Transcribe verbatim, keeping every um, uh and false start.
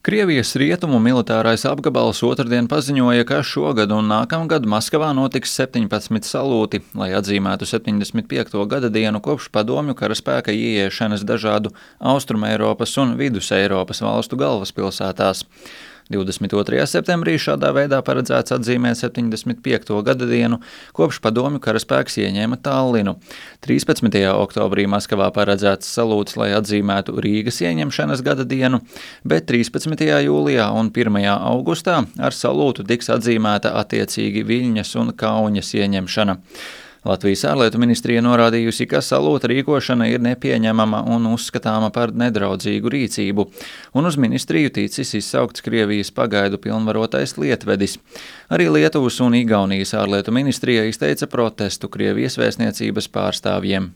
Krievijas rietumu militārais apgabals otrdien paziņoja, ka šogad un nākamgad Maskavā notiks septiņpadsmit salūti, lai atzīmētu septiņdesmit piekto gada dienu kopš padomju karaspēka ieiešanas dažādu Austrumeiropas un Viduseiropas valstu galvaspilsētās. divdesmit otrajā septembrī šādā veidā paredzēts atzīmēt septiņdesmit piekto gada dienu, kopš padomju karaspēks ieņēma Tallinu. trīspadsmitajā oktobrī Maskavā paredzēts salūts, lai atzīmētu Rīgas ieņemšanas gada dienu, bet trīspadsmitajā jūlijā un pirmajā augustā ar salūtu tiks atzīmēta attiecīgi Viļņas un Kauņas ieņemšana. Latvijas ārlietu ministrija norādījusi, ka salūta rīkošana ir nepieņemama un uzskatāma par nedraudzīgu rīcību, un uz ministriju ticis izsaukts Krievijas pagaidu pilnvarotais lietvedis. Arī Lietuvas un Igaunijas ārlietu ministrija izteica protestu Krievijas vēstniecības pārstāvjiem.